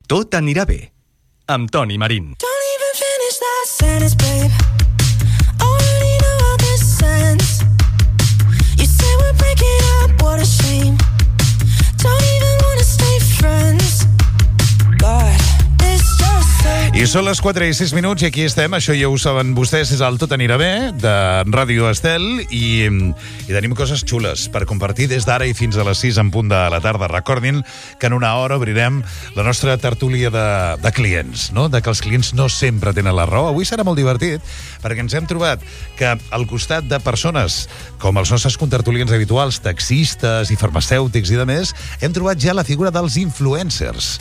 Tot anirà bé, amb Toni Marín. Don't even finish that sentence, babe. Already know how this ends. You say we're breaking up, what a shame. Don't even wanna stay friends. God, it's just so... I són les 4 i 6 minuts i aquí estem, això ja ho saben vostès, és el Tot anirà bé, de Ràdio Estel, i tenim coses xules per compartir des d'ara i fins a les 6 en punt de la tarda. Recordin que en una hora obrirem la nostra tertúlia de clients, no? De que els clients no sempre tenen la raó. Avui serà molt divertit, perquè ens hem trobat que al costat de persones com els nostres contertulians habituals, taxistes i farmacèutics i demés, hem trobat ja la figura dels influencers.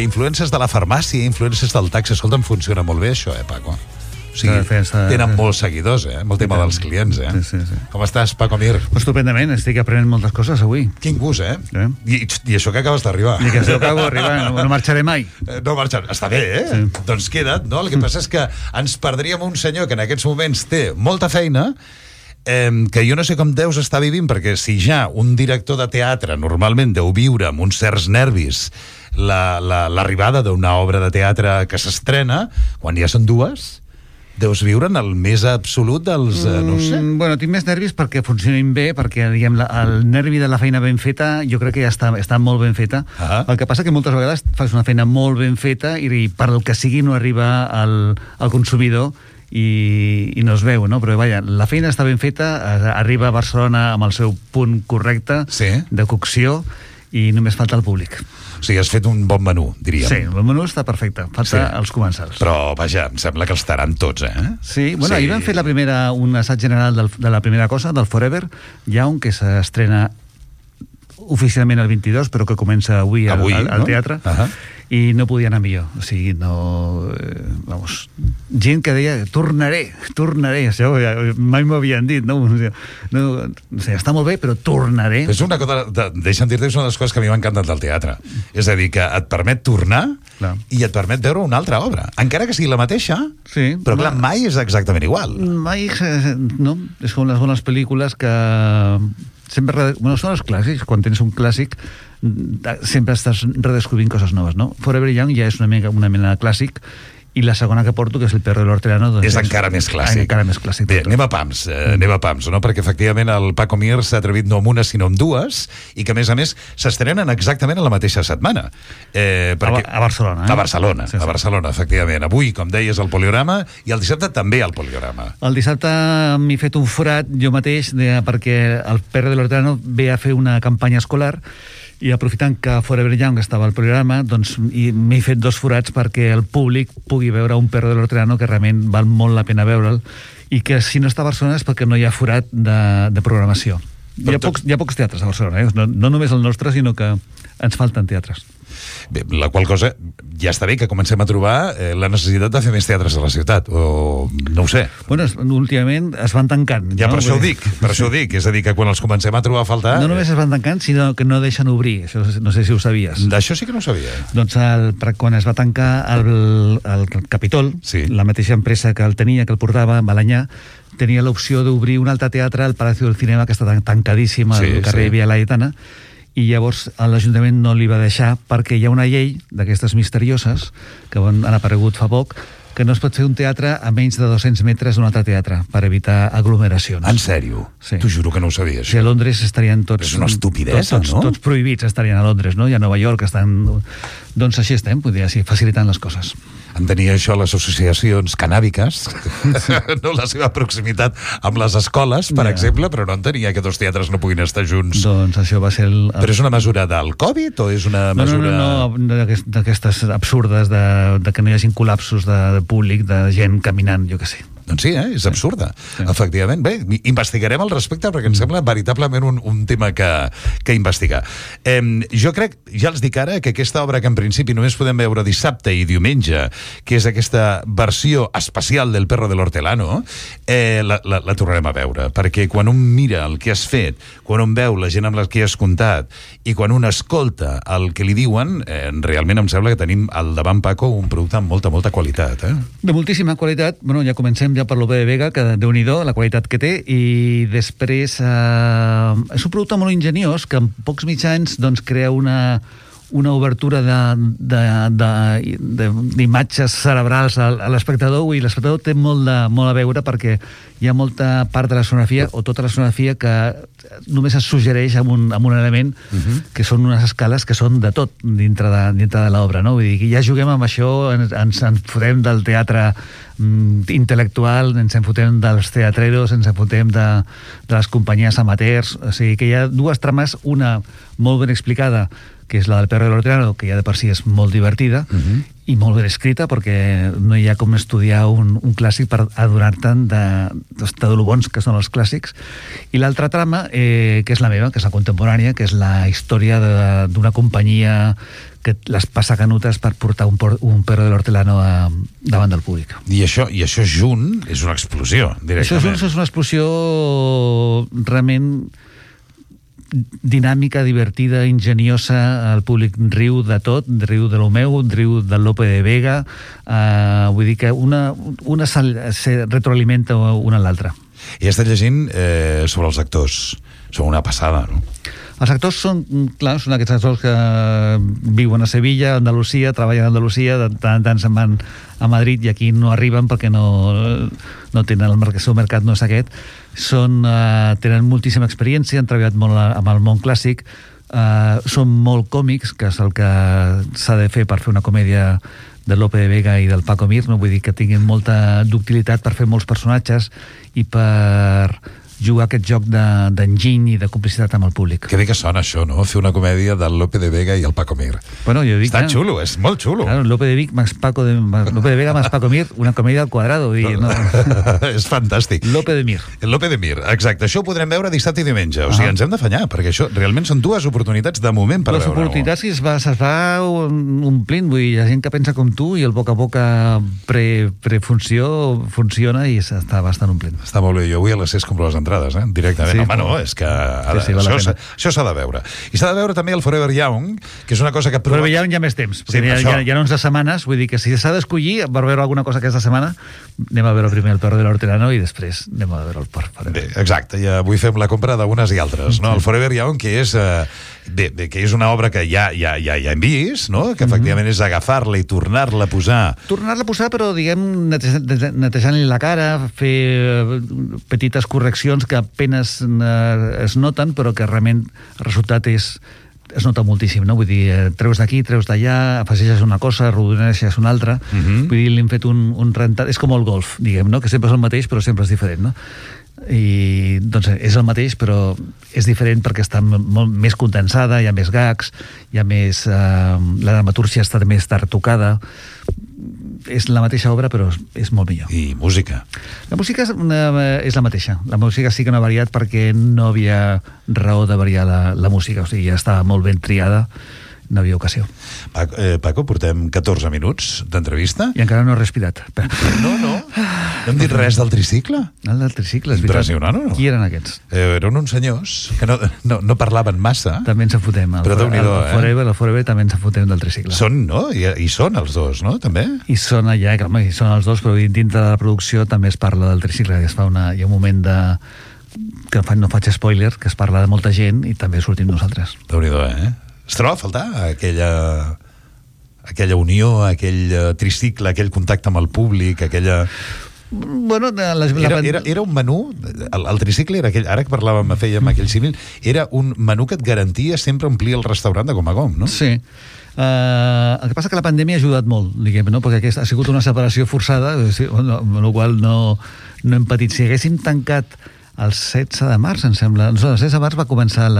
Influencers de la farmàcia, influencers del taxi. Escolta'm, funciona molt bé això, Paco? O sigui, tenen molts seguidors, amb el tema dels clients, Sí. Com estàs, Paco Mir? Estupendament, estic aprenent moltes coses avui. Quin gust, I això que acabes d'arribar. I que això que acabo d'arribar, no marxaré mai. No marxaré, està bé, Sí. Doncs queda't, no? El que passa és que ens perdríem un senyor que en aquests moments té molta feina, que jo no sé com deus estar vivint, perquè si ja un director de teatre normalment deu viure amb uns certs nervis l'arribada d'una obra de teatre que s'estrena, quan ja són dues, deus viure en el més absolut dels... no ho sé. Bueno, tinc més nervis perquè funcionin bé, perquè diguem, el nervi de la feina ben feta jo crec que ja està molt ben feta. El que passa que moltes vegades fas una feina molt ben feta i per el que sigui no arriba al consumidor i no es veu, no? Però vaja, la feina està ben feta, arriba a Barcelona amb el seu punt correcte de cocció i només falta el públic. O sigui, has fet un bon menú, diríem. Sí, el menú està perfecte, falta els comensals. Però, vaja, em sembla que els taran tots, Sí, bueno, ahir vam fer un assaig general de la primera cosa, del Forever Young, que s'estrena oficialment el 22, però que comença avui al teatre. I no podia anar millor, o sigui, no... vamos, gent que deia, tornaré, això mai m'ho havien dit, no sé, està molt bé, però tornaré. És una cosa, deixa'm dir-te, és una de les coses que a mi m'ha encantat del teatre, és a dir, que et permet tornar i et permet veure una altra obra, encara que sigui la mateixa, però clar, mai és exactament igual. Mai, no, és com les bones pel·lícules que... sempre, són els clàssics, quan tens un clàssic sempre estàs redescobrint coses noves, no? Forever Young ja és una mena de clàssic, i la segona que porto, que és El perro del hortelano, doncs és encara més clàssic. Bé, anem a pams, no? Perquè efectivament el Paco Mir s'ha atrevit no amb una sinó amb dues, i que a més s'estrenen exactament a la mateixa setmana. A Barcelona. A Barcelona, efectivament. Avui, com deies, al Poliorama, i el dissabte també al Poliorama. El dissabte m'he fet un forat jo mateix, perquè el perro del hortelano ve a fer una campanya escolar, i aprofitant que Forever Young estava al programa, doncs m'he fet 2 forats perquè el públic pugui veure un perro de l'Hortelano, que realment val molt la pena veure'l, i que si no està a Barcelona és perquè no hi ha forat de programació. Hi ha pocs teatres a Barcelona, no només el nostre, sinó que ens falten teatres. Bé, la qual cosa, ja està bé que comencem a trobar la necessitat de fer més teatres a la ciutat, o no ho sé. Bueno, últimament es van tancant. Ja, per això ho dic, és a dir, que quan els comencem a trobar a faltar... No només es van tancant, sinó que no deixen obrir, això no sé si ho sabies. D'això sí que no ho sabia. Doncs quan es va tancar el Capitol, la mateixa empresa que el tenia, que el portava, Balañà, tenia l'opció d'obrir un altre teatre al Palacio del Cinema, que està tancadíssim al carrer Via Laietana, i llavors l'Ajuntament no li va deixar perquè hi ha una llei d'aquestes misterioses que han aparegut fa poc, que no es pot fer un teatre a menys de 200 metres d'un altre teatre per evitar aglomeracions. En sèrio? Sí. T'ho juro que no ho sabia, això. Sí, a Londres estarien tots... És una estupidesa, no? Tots prohibits estarien a Londres, no? I a Nova York estan... Doncs així estem, podria dir, facilitant les coses. En tenia això les associacions canàbiques, no la seva proximitat amb les escoles, per exemple, però no entenia que 2 teatres no puguin estar junts. Doncs això va ser Però és una mesura del Covid o és una mesura... No, d'aquestes absurdes de que no hi hagin col·lapsos de públic, de gent caminant, jo què sé. Doncs sí, és absurda, efectivament. Bé, investigarem al respecte perquè em sembla veritablement un tema que investigar. Jo crec, ja els dic ara, que aquesta obra que en principi només podem veure dissabte i diumenge, que és aquesta versió especial del perro de l'Hortelano, la tornarem a veure, perquè quan un mira el que has fet, quan un veu la gent amb la que has comptat i quan un escolta el que li diuen, realment em sembla que tenim al davant, Paco, un producte amb molta, molta qualitat. De moltíssima qualitat. Bueno, ja comencem ja per l'O.B. de Vega, que Déu-n'hi-do, la qualitat que té, i després és un producte molt ingeniós que en pocs mitjans doncs, crea una una obertura d'imatges cerebrals a l'espectador, i l'espectador té molt a veure, perquè hi ha molta part de la sonografia, o tota la sonografia, que només es suggereix amb un element, que són unes escales que són de tot dintre de l'obra, no? Vull dir que ja juguem amb això, ens fotem del teatre intel·lectual, ens en fotem dels teatreros, ens en fotem de les companyies amateurs, o sigui que hi ha dues trames, una molt ben explicada, que és la del Perro del Hortelano, que ja de per si és molt divertida, i molt ben escrita, perquè no hi ha com estudiar un clàssic per adonar-te'n de lo bons que són els clàssics. I l'altra trama, que és la meva, que és la contemporània, que és la història d'una companyia que les passa canutes per portar un Perro del Hortelano davant del públic. I això junt és una explosió, directament. Això és una explosió realment dinàmica, divertida, ingeniosa. El públic riu de tot, riu de lo meu, riu del Lope de Vega, vull dir que una se retroalimenta una a l'altra. I estat llegint sobre els actors. Són una passada, no? Els actors són aquests actors que viuen a Sevilla, a Andalusia, treballen a Andalusia, de tant en tant se'n van a Madrid i aquí no arriben perquè no tenen el seu mercat, no és aquest. Tenen moltíssima experiència, han treballat molt amb el món clàssic, són molt còmics, que és el que s'ha de fer per fer una comèdia de Lope de Vega i del Paco Mir, no? Vull dir que tinguin molta ductilitat per fer molts personatges i per jugar aquest joc d'enginy i de complicitat amb el públic. Que bé que sona això, no? Fer una comèdia del Lope de Vega i el Paco Mir. Bueno, jo dic, està xulo, és molt xulo. Claro, Lope de Vega más Paco Mir, una comèdia al quadrado. No. És fantàstic. Lope de Mir. El Lope de Mir, exacte. Això ho podrem veure dissabte i diumenge. O sigui, ens hem d'afanyar, perquè això realment són dues oportunitats de moment per veure-ho. Les oportunitats que es va omplint, vull dir, hi ha gent que pensa com tu i el boca a boca prefunció funciona i s'està bastant omplint. Està molt bé. Jo avui a les 6 compro les entrades, directament. Sí, home, no, és que això s'ha de veure. I s'ha de veure també el Forever Young, que és una cosa que... Forever Young ja més temps, perquè hi ha 11 setmanes, vull dir que si s'ha d'escollir per veure alguna cosa aquesta setmana, anem a veure primer el Perro del Hortelano i després anem a veure el Forever. Bé, exacte, ja avui fem la compra d'unes i altres, no? El Forever Young, que és una obra que ja hem vist, no? Que efectivament és agafar-la i tornar-la a posar. Tornar-la a posar, però, diguem, netejant-li la cara, fer petites correccions que apenas es noten, però que realment el resultat es nota moltíssim, no? Vull dir, treus d'aquí, treus d'allà, afegeixes una cosa, arrodoneixes una altra. Vull dir, li hem fet un rentat... És com el golf, diguem, no? Que sempre és el mateix, però sempre és diferent, no? I, doncs, és el mateix, però és diferent perquè està molt més condensada, hi ha més gags, hi ha més... la dramatúrgia està més retocada. És la mateixa obra, però és molt millor. I música? La música és la mateixa. La música sí que no ha variat perquè no havia raó de variar la música. O sigui, ja estava molt ben triada, no havia ocasió. Paco, portem 14 minuts d'entrevista. I encara no he respirat. No hem dit res del tricicle? El del tricicle, és veritat. Impressionant, o no? Qui eren aquests? Eren uns senyors que no parlaven massa. També ens en fotem. El Forever també ens en fotem del tricicle. Són, no? I són els dos, no? També? I són allà, i són els dos, però dintre de la producció també es parla del tricicle, que hi ha un moment que no faig spoiler, que es parla de molta gent i també sortim nosaltres. Déu-n'hi-do, Es troba a faltar aquella unió, aquell tricicle, aquell contacte amb el públic, aquella... Bueno, era un menú, el tricicle era aquell, ara que fèiem aquell símil, era un menú que et garantia sempre omplir el restaurant de gom a gom, no? Sí. El que passa que la pandèmia ha ajudat molt, diguem, no? Perquè ha sigut una separació forçada, amb la qual no hem patit. Si haguéssim tancat el 16 de març, em sembla, el 16 de març va començar